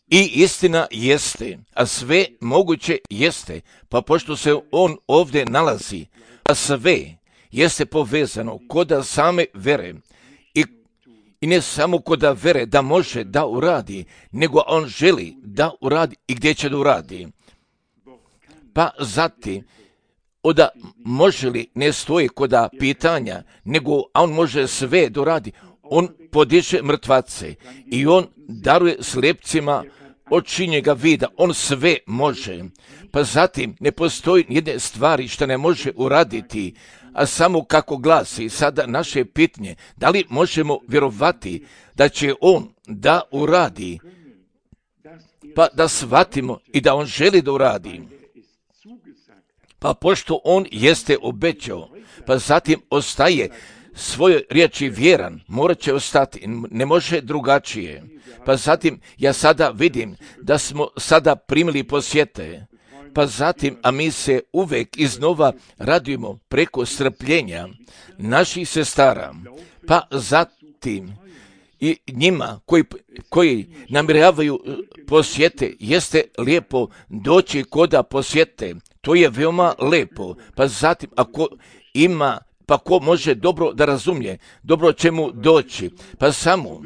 I istina jeste, a sve moguće jeste, pa pošto se on ovdje nalazi, a sve jeste povezano koda same vere i ne samo koda vere da može da uradi, nego on želi da uradi i gdje će da uradi. Pa zatim, oda može li ne stoji koda pitanja, nego on može sve da uradi. On podiže mrtvace i on daruje slijepcima očinjega vida, on sve može. Pa zatim ne postoji jedne stvari što ne može uraditi, a samo kako glasi sada naše pitanje, da li možemo vjerovati da će on da uradi, pa da shvatimo i da on želi da uradi. Pa pošto on jeste obećao, pa zatim ostaje svojoj riječi vjeran, morat će ostati, ne može drugačije. Pa zatim ja sada vidim da smo sada primili posjete, pa zatim, a mi se uvek iznova radujemo preko strpljenja naših sestara, pa zatim i njima koji namjeravaju posjete, jeste lijepo doći koda posjete, to je veoma lijepo, pa zatim ako ima, pa ko može dobro da razumije, dobro će mu doći, pa samo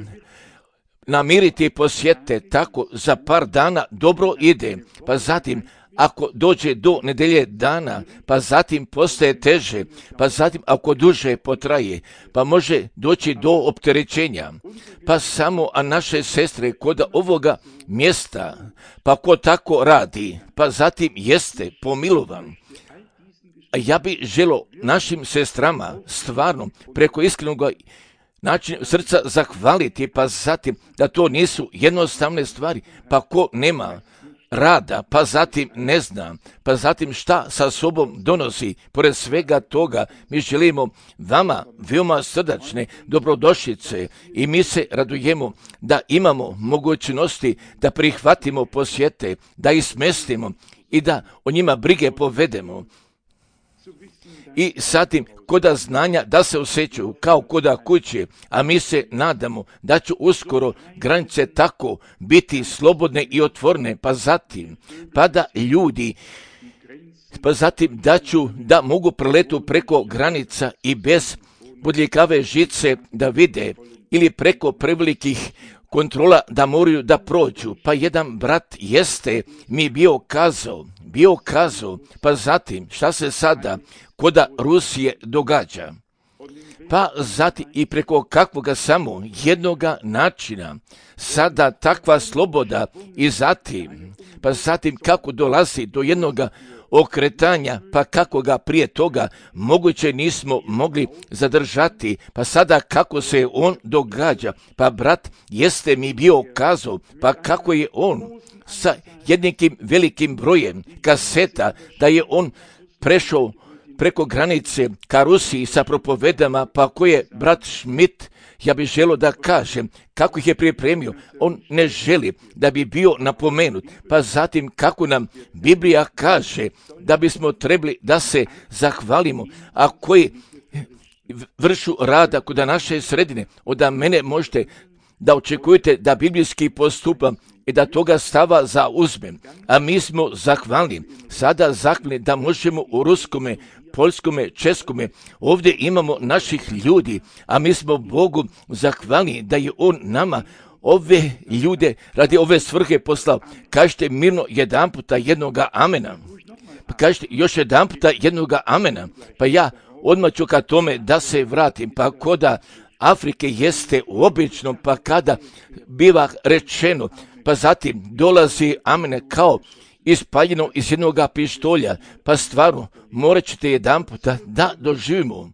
namiriti posjete tako za par dana dobro ide, pa zatim ako dođe do nedelje dana, pa zatim postaje teže, pa zatim ako duže potraje, pa može doći do opterećenja, pa samo a naše sestre kod ovoga mjesta, pa ko tako radi, pa zatim jeste pomilovan. A ja bih želio našim sestrama stvarno preko iskrenog načina srca zahvaliti, pa zatim da to nisu jednostavne stvari, pa ko nema rada, pa zatim ne zna, pa zatim šta sa sobom donosi. Pored svega toga mi želimo vama veoma srdačne dobrodošlice i mi se radujemo da imamo mogućnosti da prihvatimo posjete, da ih smestimo i da o njima brige povedemo. I zatim koda znanja da se osjećaju kao koda kuće, a mi se nadamo da će uskoro granice tako biti slobodne i otvorene, pa zatim pa da ljudi, pa zatim da mogu preletu preko granica i bez bodljikave žice da vide ili preko prevelikih kontrola da moraju da prođu. Pa jedan brat jeste mi bio kazao, pa zatim šta se sada koda Rusije događa. Pa zatim i preko kakvoga samo jednoga načina sada takva sloboda i zatim, pa zatim kako dolazi do jednoga okretanja, pa kako ga prije toga moguće nismo mogli zadržati, pa sada kako se on događa, pa brat jeste mi bio kazao, pa kako je on sa jednikim velikim brojem kaseta, da je on prešao preko granice ka Rusiji sa propovedama, pa ko je brat Schmidt, ja bih želio da kažem kako ih je pripremio. On ne želi da bi bio napomenut, pa zatim kako nam Biblija kaže da bismo trebali da se zahvalimo, a koji vršu rada kod naše sredine, od mene možete da očekujete da biblijski postupam i da toga stava zauzmem. A mi smo zahvalni, sada zahvalni da možemo u ruskome, poljskome, českome, ovdje imamo naših ljudi, a mi smo Bogu zahvalni da je On nama ove ljude radi ove svrhe poslao. Kažete mirno jedanputa jednoga amena. Pa kažete još jedanputa jednoga amena. Pa ja odmah ću ka tome da se vratim, pa koda Afrike jeste obično, pa kada biva rečeno, pa zatim dolazi amene kao ispaljeno iz jednoga pištolja, pa stvarno morat ćete jedanputa da doživimo.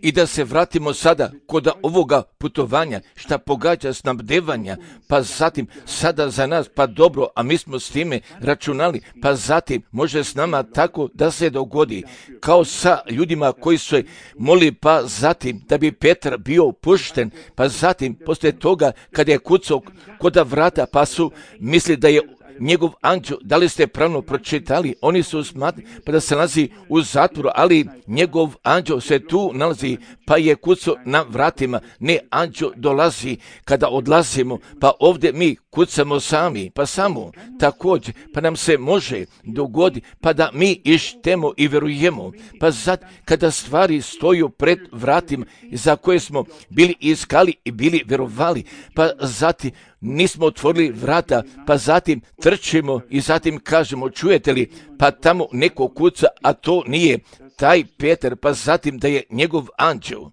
I da se vratimo sada kod ovoga putovanja, šta pogađa snabdevanja, pa zatim sada za nas, pa dobro, a mi smo s time računali, pa zatim može s nama tako da se dogodi, kao sa ljudima koji su molili, pa zatim da bi Petar bio pušten, pa zatim poslije toga kada je kucao kod vrata, pa su mislili da je njegov anđeo, da li ste pravno pročitali, oni su smatrali pa da se nalazi u zatvoru, ali njegov anđeo se tu nalazi, pa je kucao na vratima. Ne, anđeo dolazi kada odlazimo, pa ovdje mi kucamo sami, pa samo također, pa nam se može dogoditi, pa da mi ištemo i vjerujemo, pa sad kada stvari stoju pred vratima za koje smo bili iskali i bili vjerovali, pa zatim nismo otvorili vrata, pa zatim trčimo i zatim kažemo, čujete li, pa tamo neko kuca, a to nije taj Petar, pa zatim da je njegov anđeo.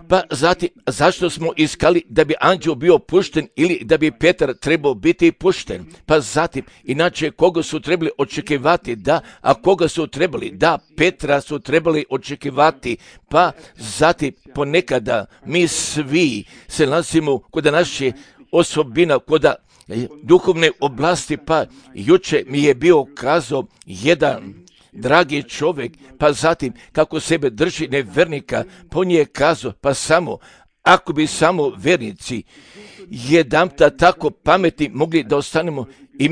Pa zatim, zašto smo iskali da bi anđeo bio pušten ili da bi Petar trebao biti pušten? Pa zatim, inače koga su trebali očekivati? Da, a koga su trebali? Da, Petra su trebali očekivati. Pa zatim, ponekada mi svi se nalazimo kod naše osobina, kod duhovne oblasti, pa juče mi je bio kazao jedan dragi čovjek, pa zatim kako sebe drži nevernika, pa on je kazao, pa samo, ako bi samo vernici jedanputa tako pametni mogli da ostanemo i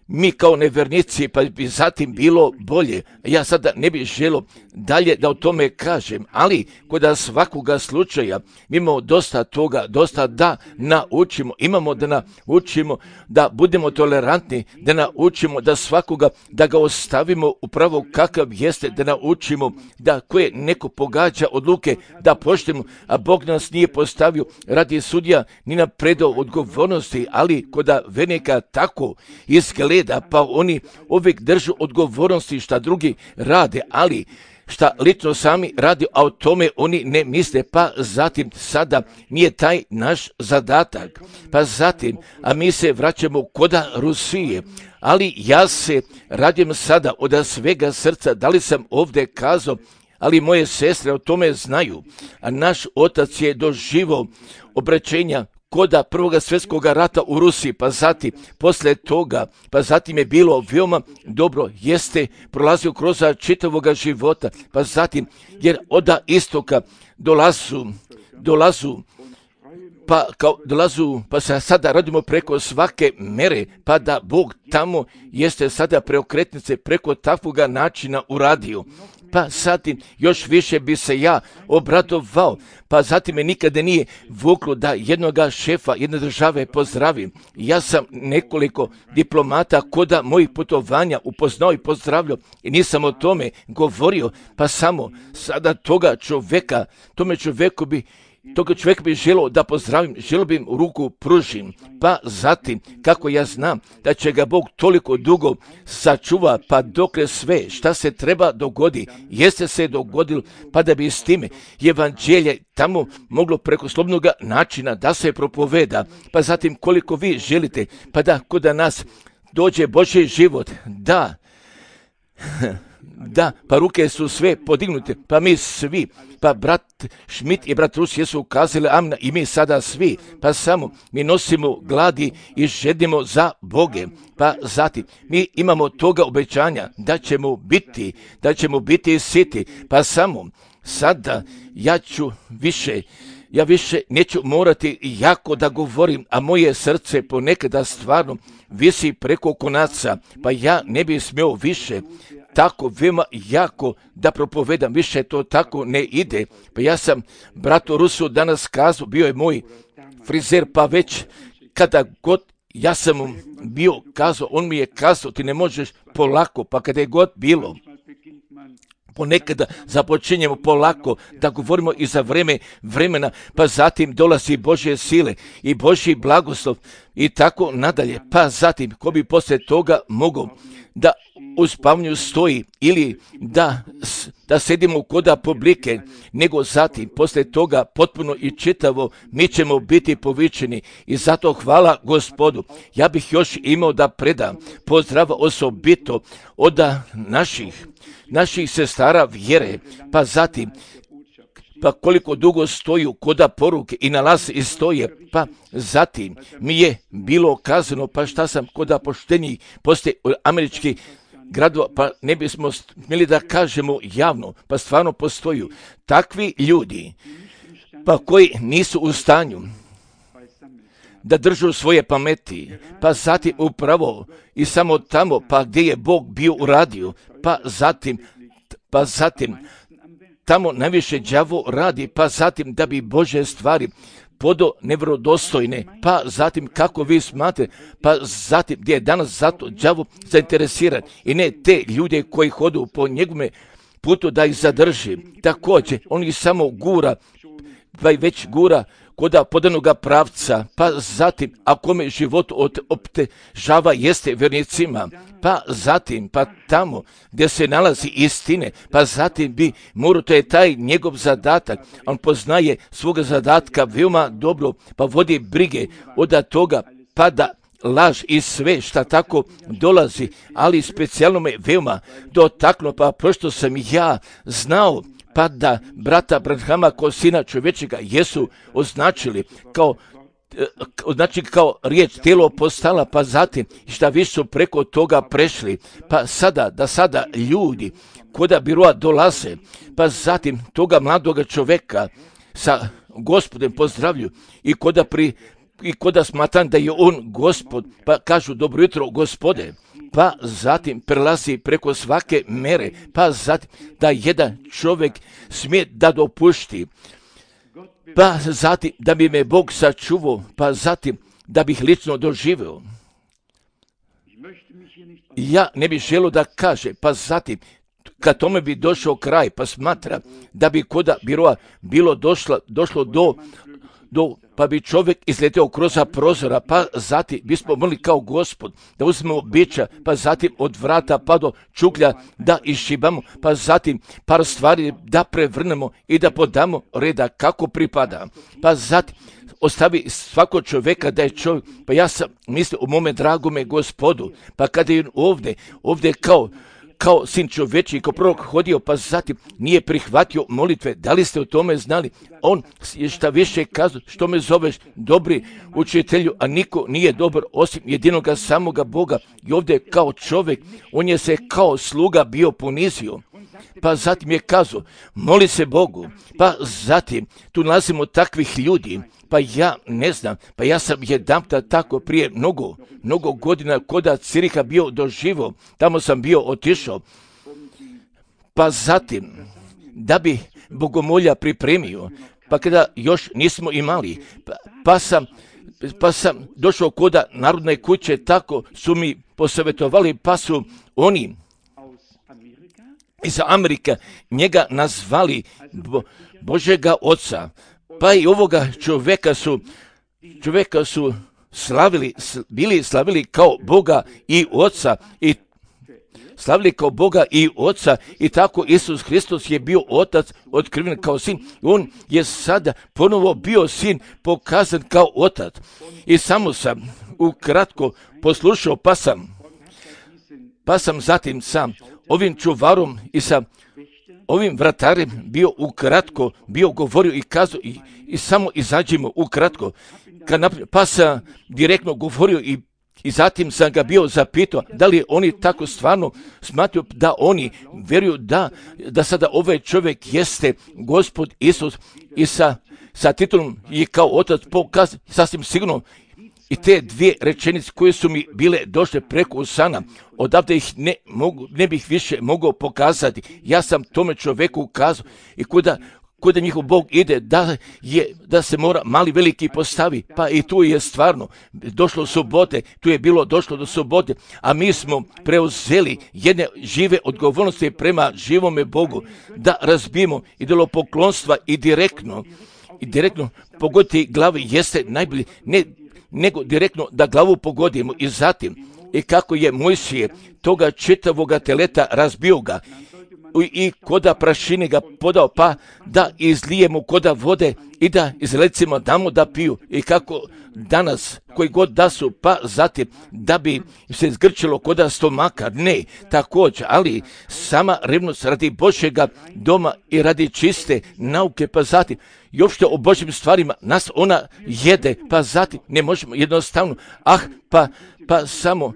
mi kao nevernici, pa bi zatim bilo bolje. Ja sada ne bih želio dalje da o tome kažem, ali kod svakoga slučaja mi imamo dosta toga, dosta da naučimo, imamo da naučimo da budemo tolerantni, da naučimo da svakoga, da ga ostavimo upravo kakav jeste, da naučimo da koje neko pogađa odluke, da poštujemo, a Bog nas nije postavio radi sudija, ni na predao odgovornosti, ali kod vernika tako izgleda, pa oni uvijek držu odgovornosti šta drugi rade, ali šta lično sami radi, a o tome oni ne misle, pa zatim sada nije taj naš zadatak. Pa zatim, a mi se vraćamo koda Rusije, ali ja se radim sada od svega srca, da li sam ovdje kazao, ali moje sestre o tome znaju, a naš otac je doživio obraćenja koda Prvog svjetskog rata u Rusiji, pa zatim, poslije toga, pa zatim je bilo veoma dobro, jeste prolazio kroz čitavoga života, pa zatim, jer od istoka dolazu, pa se sada radimo preko svake mere, pa da Bog tamo jeste sada preokretnice preko takvoga načina uradio. Pa zatim još više bi se ja obradovao, pa zatim me nikada nije vuklo da jednoga šefa jedne države pozdravim. Ja sam nekoliko diplomata koda mojih putovanja upoznao i pozdravljao i nisam o tome govorio, pa samo sada toga čovjeka bi želio da pozdravim, želio bi im ruku pružim, pa zatim, kako ja znam da će ga Bog toliko dugo sačuva, pa dokle sve šta se treba dogodi, jeste se dogodilo, pa da bi s time evanđelje tamo moglo preko slobodnog načina da se propoveda, pa zatim koliko vi želite, pa da kod nas dođe Božji život, da, pa ruke su sve podignute, pa mi svi, pa brat Šmit i brat Rus jesu ukazali amna i mi sada svi, pa samo mi nosimo gladi i žedimo za Boge, pa zatim mi imamo toga obećanja da ćemo biti siti, pa samo sada ja više neću morati jako da govorim, a moje srce ponekada stvarno visi preko konaca, pa ja ne bih smio više tako veoma jako da propovedam, više to tako ne ide. Pa ja sam bratu Rusu danas kazao, bio je moj frizer, pa već kada god ja sam mu bio kazao, on mi je kazao, ti ne možeš polako, pa kada je god bilo, ponekada započinjemo polako da govorimo i za vremena, pa zatim dolazi Božje sile i Božji blagoslov i tako nadalje. Pa zatim, ko bi poslije toga mogao da u spavnju stoji ili da sedimo koda publike, nego zatim, poslije toga potpuno i čitavo, mi ćemo biti povičeni i zato hvala Gospodu. Ja bih još imao da predam pozdrav osobito od naših sestara vjere, pa zatim, pa koliko dugo stoju koda poruke i nalaz i stoje, pa zatim mi je bilo kazano, pa šta sam koda poštenjih poslije američkih gradova, pa ne bismo smjeli da kažemo javno, pa stvarno postoju takvi ljudi, pa koji nisu u stanju da držu svoje pameti, pa zatim upravo i samo tamo, pa gdje je Bog bio uradio, pa zatim tamo najviše đavo radi, pa zatim da bi Božje stvari podo nevrodostojne, pa zatim kako vi smatrate, pa zatim gdje je danas zato đavo zainteresiran i ne te ljude koji hodu po njegovome putu da ih zadrži. Također, on ih samo gura, pa i već gura koda podanoga pravca, pa zatim, ako me život optežava jeste vjernicima, pa zatim, pa tamo gdje se nalazi istine, pa zatim bi morao, to je taj njegov zadatak, on poznaje svoga zadatka veoma dobro, pa vodi brige od toga, pa da laž i sve šta tako dolazi, ali specijalno me veoma dotaklo, pa pošto sam ja znao, pa da brata Branhama kao sina čovječega jesu označili kao riječ tijelo postala, pa zatim šta više su preko toga prešli, pa sada ljudi koda biroa dolaze, pa zatim toga mladoga čovjeka sa Gospodem pozdravlju i koda smatram da je on Gospod, pa kažu dobro jutro Gospode, pa zatim prelazi preko svake mere, pa zatim da jedan čovjek smije da dopušti, pa zatim da bi me Bog sačuvao, pa zatim da bih lično doživio. Ja ne bih želio da kaže, pa zatim kad tome bi došao kraj, pa smatra da bi koda biroa bilo došlo do pa bi čovjek izletio kroz prozora, pa zatim bismo mogli kao Gospod da uzmemo bića, pa zatim od vrata pa do čuklja da išibamo, pa zatim par stvari da prevrnemo i da podamo reda kako pripada. Pa zatim ostavi svako čovjeka da je čovjek, pa ja sam mislio u mome dragome Gospodu, pa kada je ovdje kao sin čovječiji, kao prorok hodio, pa zatim nije prihvatio molitve. Da li ste o tome znali? On je šta više kazao, što me zoveš dobri učitelju, a niko nije dobar osim jedinoga samoga Boga. I ovdje kao čovjek, on je se kao sluga bio ponizio. Pa zatim je kazao, moli se Bogu. Pa zatim, tu nalazimo takvih ljudi, pa ja ne znam, pa ja sam jedanputa tako prije mnogo godina koda Ciriha bio doživio, tamo sam bio otišao, pa zatim da bi bogomolja pripremio, pa kada još nismo imali, pa sam došao koda Narodne kuće, tako su mi posavjetovali, pa su oni iz Amerike njega nazvali Božega oca, pa i ovoga čovjeka su slavili kao Boga i oca i slavili kao Boga i oca i tako Isus Hristos je bio otac otkriven kao sin. On je sada ponovo bio sin pokazan kao otac. I samo sam ukratko poslušao, pa sam zatim sam ovim čuvarom i sa ovim vratarem bio govorio i kazao i samo izađimo ukratko. Pa sam direktno govorio i zatim sam ga bio zapitao da li oni tako stvarno smatraju da oni vjeruju da sada ovaj čovjek jeste Gospod Isus i sa titulom i kao otac pokaz sasvim sigurno. I te dvije rečenice koje su mi bile došle preko usana, odavde ih ne bih više mogao pokazati. Ja sam tome čovjeku ukazao i kuda njihov Bog ide, da se mora mali veliki postavi, pa i tu je stvarno došlo subote, tu je bilo došlo do subote, a mi smo preuzeli jedne žive odgovornosti prema živome Bogu, da razbijemo idolopoklonstva i direktno pogoditi glavi jeste najbolje, nego direktno da glavu pogodimo i zatim i kako je Mojsije toga čitavoga teleta razbio ga i koda prašine ga podao, pa da izlijemo koda vode i da izlecimo damo da piju i kako danas koji god da su, pa zatim da bi se zgrčilo koda stomaka, ne, također, ali sama revnost radi Božjega doma i radi čiste nauke, pa zatim i uopšte o Božjim stvarima, nas ona jede, pa zatim ne možemo jednostavno, pa samo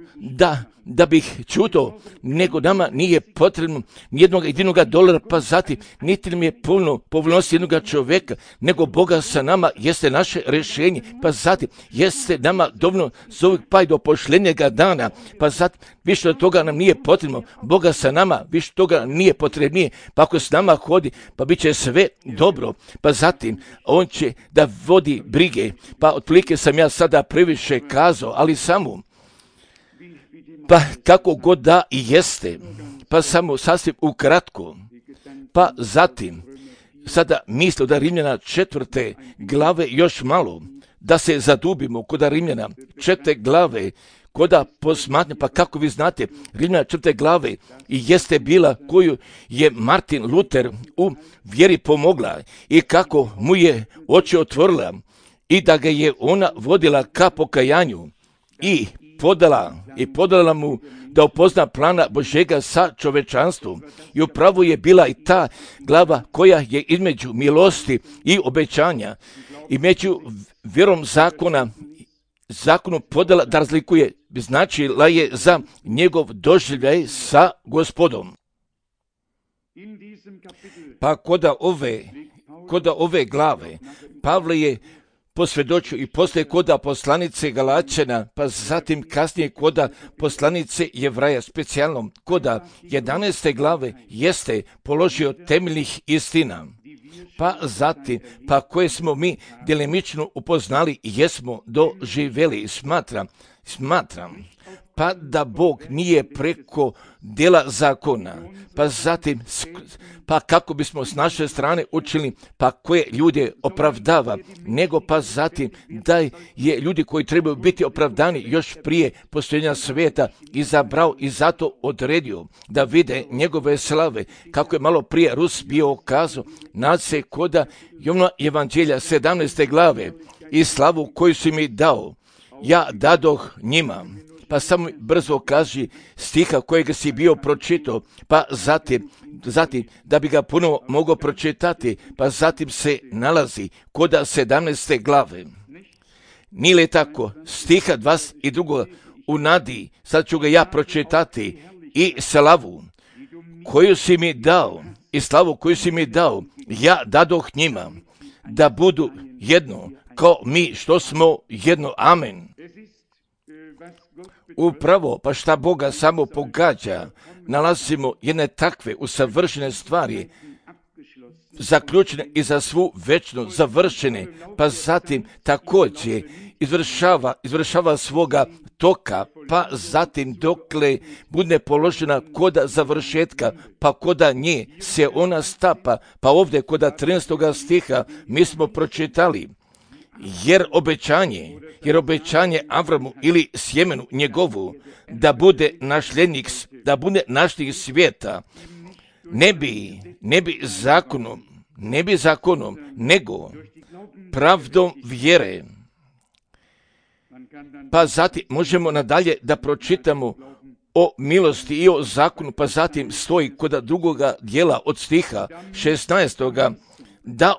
da bih čuto, nego nama nije potrebno nijednog jedinog dolara, pa zatim niti nam je puno povoljnosti jednoga čovjeka, nego Boga sa nama jeste naše rješenje, pa zatim jeste nama dovoljno zove pa i do pošljenjega dana, pa zatim više od toga nam nije potrebno, Boga sa nama više toga nije potrebnije, pa ako s nama hodi, pa bit će sve dobro, pa zatim on će da vodi brige, pa otprilike sam ja sada previše kazao, ali samo pa kako god da i jeste, pa samo sasvim ukratko, pa zatim, sada misli da Rimljana 4. glave još malo, da se zadubimo kod Rimljana 4. glave, koda posmatnje, pa kako vi znate, Rimljana 4. glave i jeste bila koju je Martin Luther u vjeri pomogla i kako mu je oči otvorila i da ga je ona vodila ka pokajanju i podala mu da upozna plana Božjega sa čovečanstvom. I upravo je bila i ta glava koja je između milosti i obećanja i među vjerom zakonu podala da razlikuje, značila je za njegov doživljaj sa Gospodom. Pa koda ove glave Pavle je posvjedočio i poslije koda poslanice Galačana, pa zatim kasnije koda poslanice Jevraja, specijalno koda 11. glave jeste položio temeljnih istina, pa zatim, pa koje smo mi djelimično upoznali i jesmo doživjeli. Smatram, pa da Bog nije preko djela zakona, pa zatim, pa kako bismo s naše strane učili, pa koje ljude opravdava, nego pa zatim da je ljudi koji trebaju biti opravdani još prije postojanja svijeta izabrao i zato odredio da vide njegove slave, kako je malo prije Rus bio kazao, nad se koda Jovana Evanđelja 17. glave i slavu koju si mi dao, ja dadoh njima. Pa samo brzo kaži stiha kojega si bio pročitao, pa zatim da bi ga puno mogao pročitati, pa zatim se nalazi koda 17. glave. Nije li tako? Stiha 22. u nadi, sad ću ga ja pročitati, i slavu koju si mi dao, i slavu koju si mi dao, ja dadoh njima, da budu jedno, kao mi što smo jedno. Amen. Upravo, pa šta Boga samo pogađa, nalazimo jedne takve usavršene stvari, zaključene i za svu večnost završene, pa zatim također izvršava svoga toka, pa zatim dokle bude položena koda završetka, pa koda nje se ona stapa, pa ovdje koda 13. stiha mi smo pročitali, jer obećanje Avramu ili sjemenu njegovu da bude našlik svijeta, ne bi zakonom, nego pravdom vjere. Pa zatim možemo nadalje da pročitamo o milosti i o zakonu, pa zatim stoji kod drugoga dijela od stiha 16. da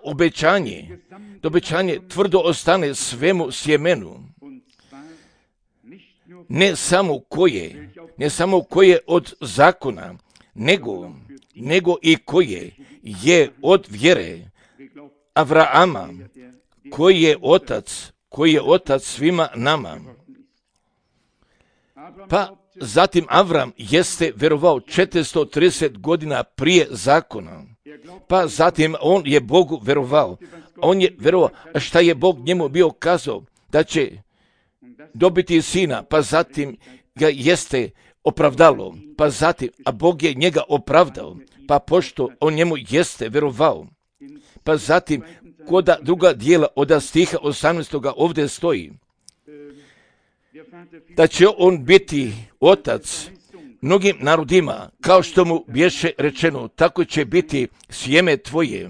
obećanje tvrdo ostane svemu sjemenu, ne samo koje od zakona, nego i koje je od vjere Avrama, koji je otac svima nama. Pa zatim Avram jeste vjerovao 430 godina prije zakona. Pa zatim on je Bogu vjerovao. On je vjerovao šta je Bog njemu bio kazao da će dobiti sina, pa zatim ga jeste opravdalo, pa zatim, a Bog je njega opravdao, pa pošto on njemu jeste vjerovao. Pa zatim, koda druga dijela od stiha 18. ovdje stoji, da će on biti otac mnogim narodima, kao što mu bješe rečeno, tako će biti sjeme tvoje.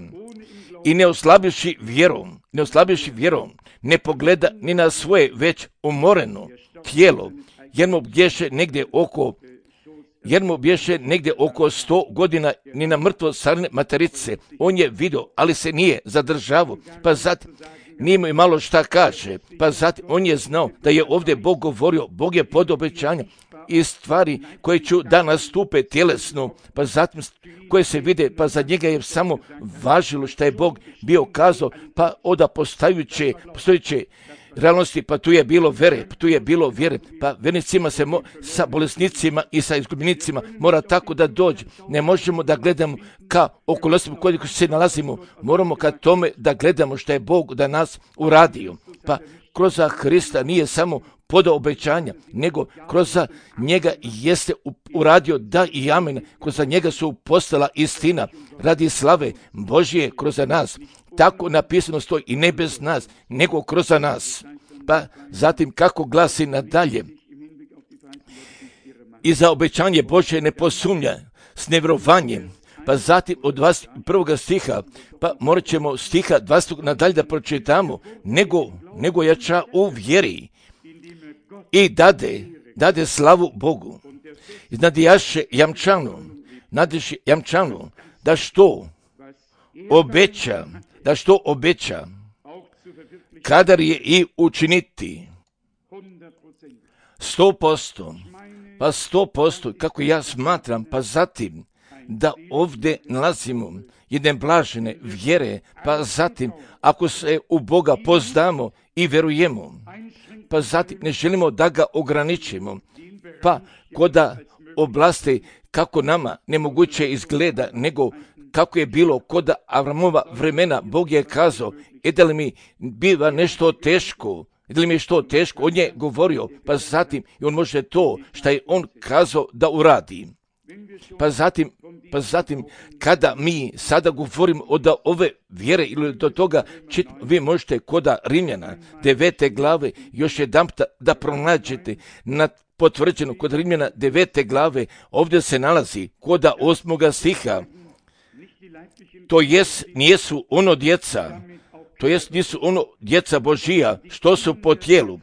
i ne oslabivši vjerom, ne pogleda ni na svoje već umoreno tijelo, jer mu bješe negdje oko 100 godina ni na mrtvo sarne materice. On je vidio, ali se nije zadržavao, pa zatim nije mu malo šta kaže, pa zatim on je znao da je ovdje Bog govorio, Bog je pod obećanjem i stvari koje ću da nastupe tjelesno, pa zatim koje se vide, pa za njega je samo važilo što je Bog bio kazao, pa oda postojeće realnosti, pa tu je bilo vjere, pa vernicima se sa bolesnicima i sa izgubljenicima mora tako da dođe. Ne možemo da gledamo ka okolnostima koje se nalazimo, moramo ka tome da gledamo što je Bog da nas uradio. Pa kroz Hrista nije samo podao obećanja, nego kroz njega jeste uradio da i amen, kroz njega su postala istina radi slave Božje kroz nas. Tako napisano stoji i ne bez nas, nego kroz nas. Pa zatim kako glasi nadalje, i za obećanje Božje ne posumnja s nevjerovanjem. Pa zatim od 21. stiha, pa morat ćemo stiha 20. nadalje da pročitamo, nego jača u vjeri i dade slavu Bogu. I nadijaše jamčanu, da što obeća, kadar je i učiniti 100%, pa 100%, kako ja smatram, pa zatim da ovdje nalazimo jedne blažene vjere, pa zatim ako se u Boga poznamo i verujemo, pa zatim ne želimo da ga ograničimo, pa koda oblasti kako nama nemoguće izgleda, nego kako je bilo kod Avramova vremena, Bog je kazao, da li mi biva nešto teško, on je govorio, pa zatim i on može to što je on kazao da uradi. Pa zatim kada mi sada govorimo od ove vjere ili do toga, vi možete kod Rimljana 9. glave još jedanput da pronađete na potvrđeno kod Rimljana 9. glave, ovdje se nalazi kod 8. stiha. To jest nisu ono djeca Božija što su po tijelu,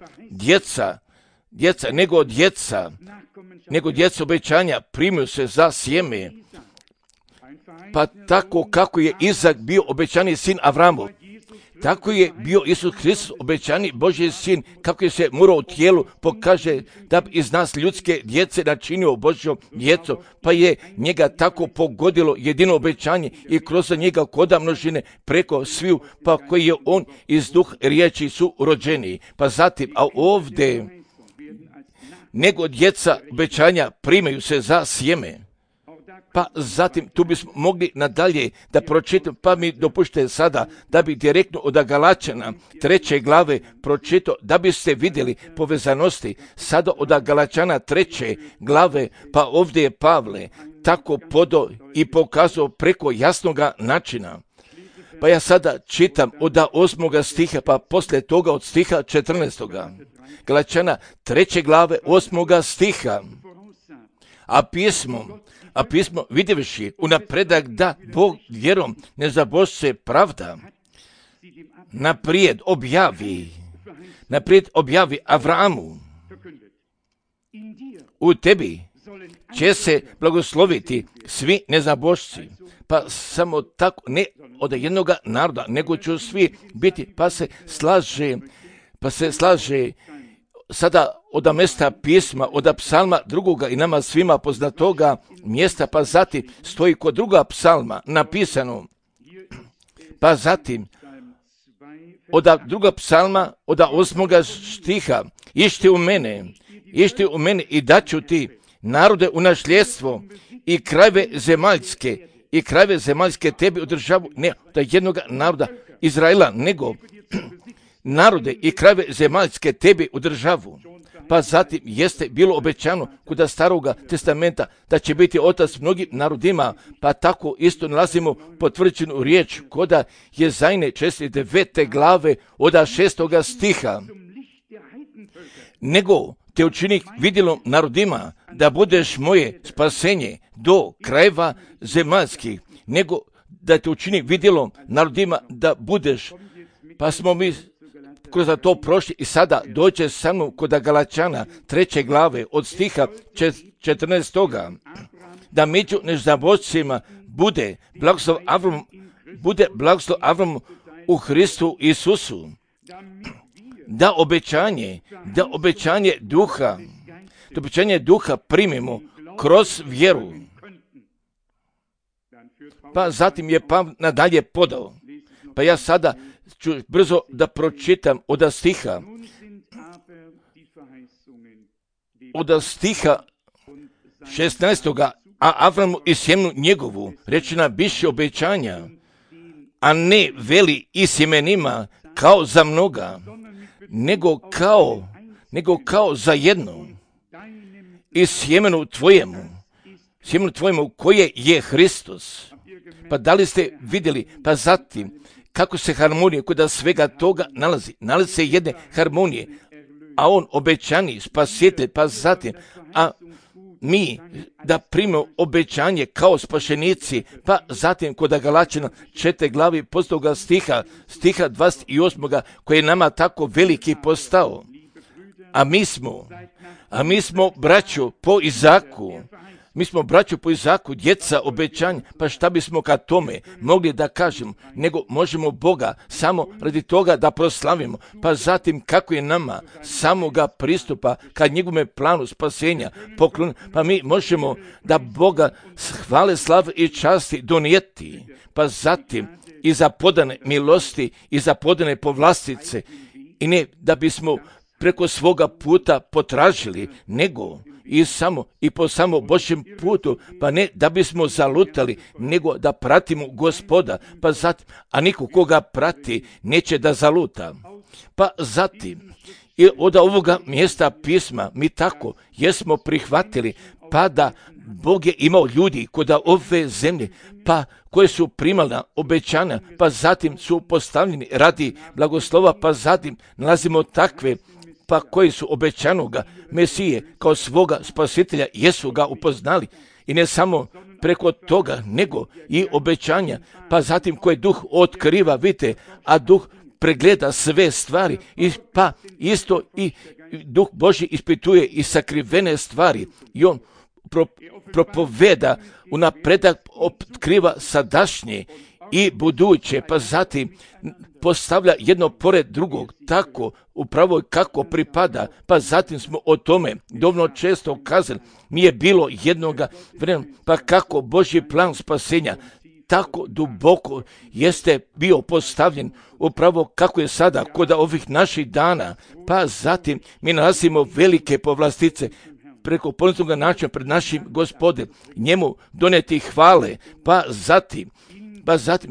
nego djeca obećanja primaju se za sjeme. Pa tako kako je Izak bio obećani sin Avramov, tako je bio Isus Kristus obećani Božji sin, kako je se morao u tijelu pokaže da bi iz nas ljudske djece načinio Božjom djecom, pa je njega tako pogodilo jedino obećanje i kroz njega koda množine preko sviju, pa koji je on iz duh riječi su rođeni. Pa zatim, a ovdje nego djeca obećanja primaju se za sjeme. Pa zatim tu bismo mogli nadalje da pročitam, pa mi dopušte sada da bi direktno od Galačana 3. glave pročitao, da biste vidjeli povezanosti sada od Galačana 3. glave, pa ovdje je Pavle tako podao i pokazao preko jasnoga načina. Pa ja sada čitam od 8. stiha, pa poslije toga od stiha 14. Galačana 3. glave 8. stiha. A pismo vidjevši unapredak da Bog vjerom nezabožce pravda, naprijed objavi Avramu, u tebi će se blagosloviti svi nezabožci, pa samo tako, ne od jednoga naroda, nego će svi biti, pa se slaže sada od mjesta pisma, od psalma drugoga i nama svima poznatoga mjesta, pa zatim stoji kod druga psalma napisano, pa zatim od druga psalma, od 8. stiha, išti u mene i daću ti narode u nasljedstvo i krajeve zemaljske tebi u državu, ne od jednoga naroda Izraela, nego narode i krajeve zemaljske tebi u državu. Pa zatim jeste bilo obećano kod Staroga testamenta da će biti otac mnogim narodima, pa tako isto nalazimo potvrđenu riječ kod Jezajne 9. glave od 6. stiha. Nego te učini vidjelom narodima da budeš moje spasenje do krajeva zemaljskih, nego da te učini vidjelom narodima da budeš. Pa smo mi kroz to prošli i sada dođe sa mnom kod Galačana 3. glave od stiha 14. Da među nezabočcima bude blagoslov Avramu u Hristu Isusu. Da obećanje duha primimo kroz vjeru. Pa zatim je Pavle nadalje podao. Pa ja sada ću brzo da pročitam od stiha 16. A Avramu i sjemenu njegovu rečena biše obećanja, a ne veli i sjemenima kao za mnoga, nego kao za jedno, i sjemenu tvojemu koje je Hristos. Pa da li ste vidjeli, pa zatim, kako se harmonija kod svega toga nalazi se jedne harmonije, a on obećani spasitelj, pa zatim, a mi da primimo obećanje kao spašenici, pa zatim kod Galačana 4. glavi postoga stiha 28. koji je nama tako veliki postao. A mi smo braćo po Izaku, djeca obećanja, pa šta bismo ka tome mogli da kažemo, nego možemo Boga samo radi toga da proslavimo, pa zatim kako je nama samoga pristupa ka njegovome planu spasenja poklon, pa mi možemo da Boga hvale, slave i časti donijeti, pa zatim i za podane milosti i za podane povlastice, i ne da bismo preko svoga puta potražili, nego i po samo Božjem putu, pa ne da bismo zalutali, nego da pratimo Gospoda, pa zatim, a niko koga prati neće da zaluta. Pa zatim, i od ovoga mjesta pisma mi tako jesmo prihvatili, pa da Bog je imao ljudi kod ove zemlje, pa koje su primali obećanja, pa zatim su postavljeni radi blagoslova, pa zatim nalazimo takve, pa koji su obećanoga Mesije kao svoga spasitelja, jesu ga upoznali, i ne samo preko toga, nego i obećanja, pa zatim koje Duh otkriva, vidite, a Duh pregleda sve stvari, i pa isto i Duh Božji ispituje i sakrivene stvari, i on propoveda unapredak, otkriva sadašnje i buduće, pa zatim postavlja jedno pored drugog, tako upravo kako pripada, pa zatim smo o tome dovoljno često kazali, nije bilo jednoga vremena, pa kako Božji plan spasenja tako duboko jeste bio postavljen, upravo kako je sada kod ovih naših dana, pa zatim mi nalazimo velike povlastice preko poniznoga načina pred našim Gospodem, njemu doneti hvale, pa zatim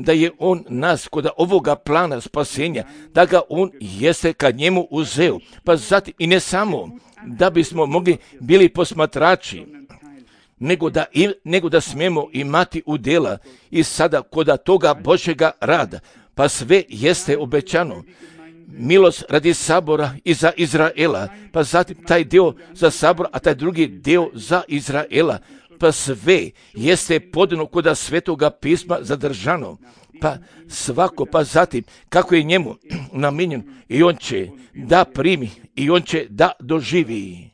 da je on nas kod ovoga plana spasenja, da ga on jeste kad njemu uzeo, pa zatim i ne samo da bismo mogli bili posmatrači, nego da smijemo imati udjela i sada kod toga Božjega rada, pa sve jeste obećano. Milost radi sabora i za Izraela, pa zatim taj dio za sabor, a taj drugi dio za Izraela, pa sve jeste podano kod Svetoga pisma zadržano, pa svako, pa zatim kako je njemu namijenjeno, i on će da primi, i on će da doživi.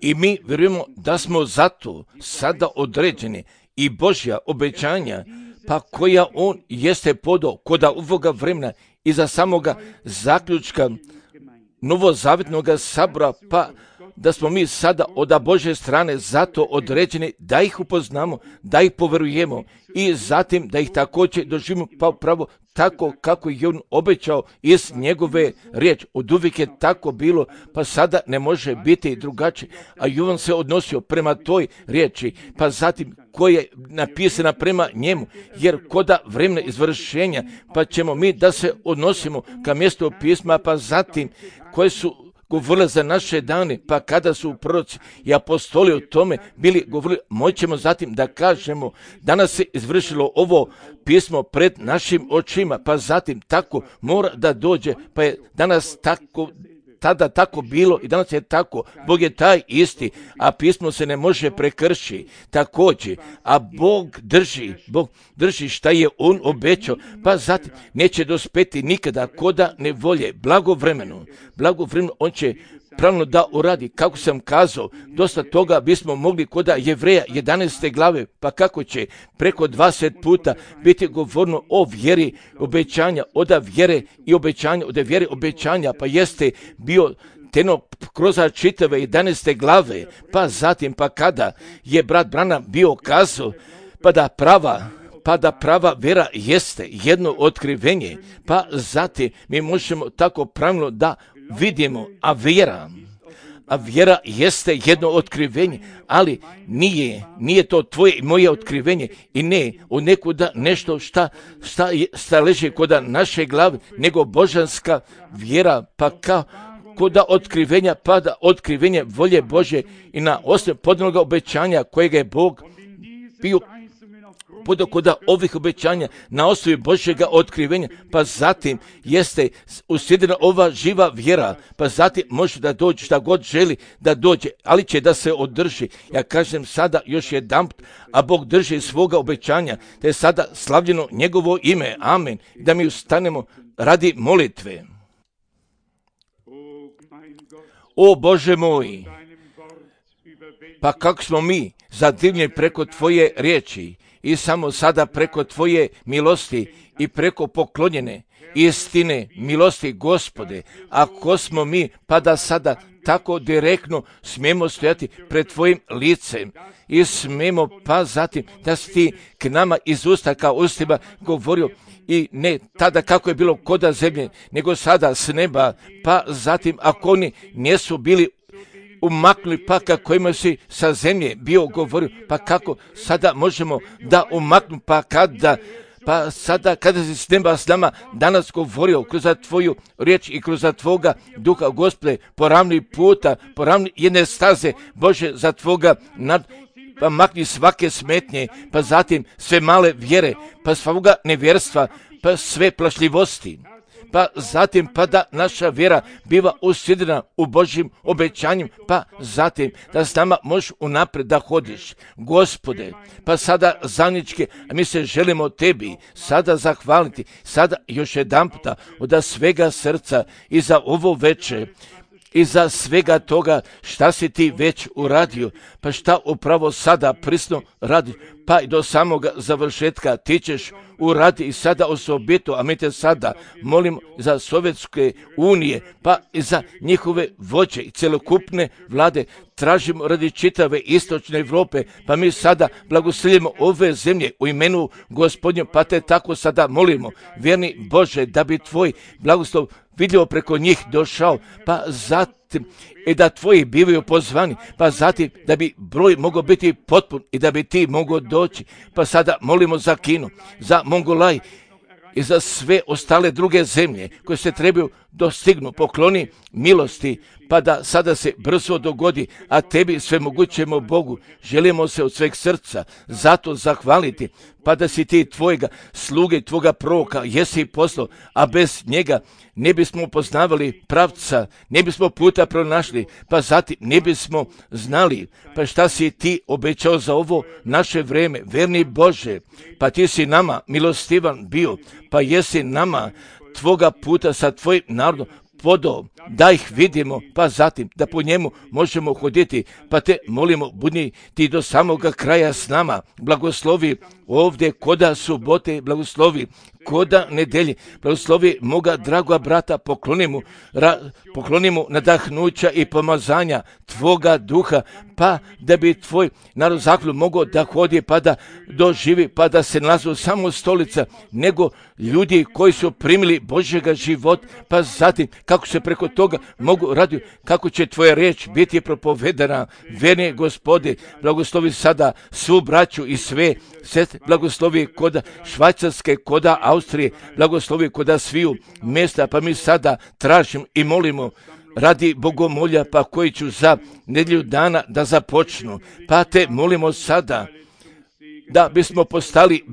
I mi vjerujemo da smo zato sada određeni i Božja obećanja, pa koja on jeste podao kod ovoga vremena i za samoga zaključka novozavjetnog sabora, pa da smo mi sada od Božje strane zato određeni da ih upoznamo, da ih poverujemo i zatim da ih također doživimo, pa upravo tako kako je on obećao iz njegove riječi. Od uvijek je tako bilo, pa sada ne može biti drugačije. A i on se odnosio prema toj riječi, pa zatim koja je napisana prema njemu, jer koda vremena izvršenja, pa ćemo mi da se odnosimo ka mjestu pisma, pa zatim koje su govorili za naše dane, pa kada su proroci i apostoli o tome bili govorili, moćemo zatim da kažemo, danas se izvršilo ovo pismo pred našim očima, pa zatim tako mora da dođe, pa je danas tada tako bilo i danas je tako. Bog je taj isti, a pismo se ne može prekršiti također. A Bog drži šta je on obećao, pa zatim neće dospeti nikada koda ne volje. Blagovremeno on će pravilno da uradi. Kako sam kazao, dosta toga bismo mogli koda Jevreja 11. glave, pa kako će preko 20 puta biti govorno o vjeri obećanja, od vjere i obećanja, od vjere obećanja, pa jeste bio teno kroz čitave 11. glave, pa zatim, pa kada je brat Branham bio kazao, pa da prava vjera jeste jedno otkrivenje, pa zatim mi možemo tako pravilno da vidimo, a vjera jeste jedno otkrivenje, ali nije to tvoje i moje otkrivenje i ne od nekuda nešto šta leži kod naše glave, nego božanska vjera, pa koda otkrivenja, pa da otkrivenje volje Bože i na osnovu podanoga obećanja kojega je Bog bio podokoda ovih obećanja na osnovi Božjega otkrivenja, pa zatim jeste usjedina ova živa vjera, pa zatim može da dođe šta god želi da dođe, ali će da se održi. Ja kažem sada još jedanput, a Bog drži svoga obećanja, te je sada slavljeno njegovo ime, amen, da mi ustanemo radi molitve. O Bože moj, pa kako smo mi zadivljeni preko tvoje riječi, i samo sada preko tvoje milosti i preko poklonjene istine milosti Gospode, ako smo mi, pa da sada tako direktno smijemo stojati pred tvojim licem i smijemo, pa zatim da si ti k nama iz usta kao ustima govorio, i ne tada kako je bilo koda zemlje, nego sada s neba, pa zatim ako oni nisu bili umaknuli, pa kako ima si sa zemlje bio govorio, pa kako sada možemo da umaknu, pa sada kada si s neba s nama danas govorio kroz tvoju riječ i kroz tvoga duha, Gospode, poravni puta, poravni jedne staze, Bože, za tvoga pa makni svake smetnje, pa zatim sve male vjere, pa svoga nevjerstva, pa sve plašljivosti. Pa zatim, pa da naša vjera biva usjedina u Božjim obećanjem, pa zatim da s nama možeš unaprijed da hodiš. Gospode, pa sada zajednički, a mi se želimo tebi sada zahvaliti, sada još jedan puta od svega srca i za ovo večer, i za svega toga šta si ti već uradio, pa šta upravo sada prisno radi, pa i do samoga završetka ti ćeš uradi i sada osobito, a mi te sada molim za Sovjetske unije, pa i za njihove vođe i celokupne vlade, tražimo radi čitave istočne Europe, pa mi sada blagoslovimo ove zemlje u imenu Gospodnjem, pa te tako sada molimo, vjerni Bože, da bi tvoj blagoslov vidljivo preko njih došao, pa zatim i da tvoji bivaju pozvani, pa zatim da bi broj mogao biti potpun i da bi ti mogao doći. Pa sada molimo za Kinu, za Mongolaj i za sve ostale druge zemlje koje se trebaju dostignu, pokloni milosti, pa da sada se brzo dogodi, a tebi svemogućemo Bogu, želimo se od sveg srca zato zahvaliti, pa da si ti tvojega sluge, tvoga proroka jesi poslao, a bez njega ne bismo poznavali pravca, ne bismo puta pronašli, pa zatim ne bismo znali, pa šta si ti obećao za ovo naše vreme, verni Bože, pa ti si nama milostivan bio, pa jesi nama tvoga puta sa tvojim narodom podao, da ih vidimo, pa zatim da po njemu možemo hoditi, pa te molimo, budi ti do samoga kraja s nama, blagoslovi ovdje koda subote, blagoslovi koda nedelje, blagoslovi moga dragoga brata, pokloni mu nadahnuća i pomazanja tvoga duha, pa da bi tvoj narod zahvalu mogao da hodi, pa da doživi, pa da se nalazu samo stolica, nego ljudi koji su primili Božjega života, pa zatim kako se preko toga mogu raditi, kako će tvoja riječ biti propovedana, verni Gospode, blagoslovi sada svu braću i sve sestre, blagoslovi koda Švajcarske, koda Austrije, blagoslovi koda sviju mjesta, pa mi sada tražimo i molimo radi bogomolja, pa koji ću za nedjelju dana da započnu, pa te molimo sada da bismo postali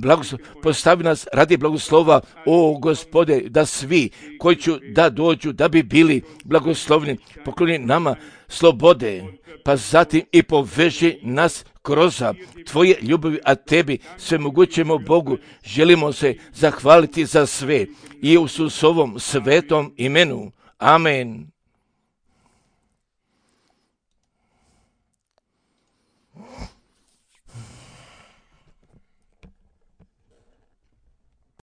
postavi nas radi blagoslova, o Gospode, da svi koji će da dođu, da bi bili blagoslovni, pokloni nama slobode, pa zatim i poveži nas kroz Tvoje ljubavi, a Tebi, svemogućemo Bogu, želimo se zahvaliti za sve i u Isusovom svetom imenu. Amen.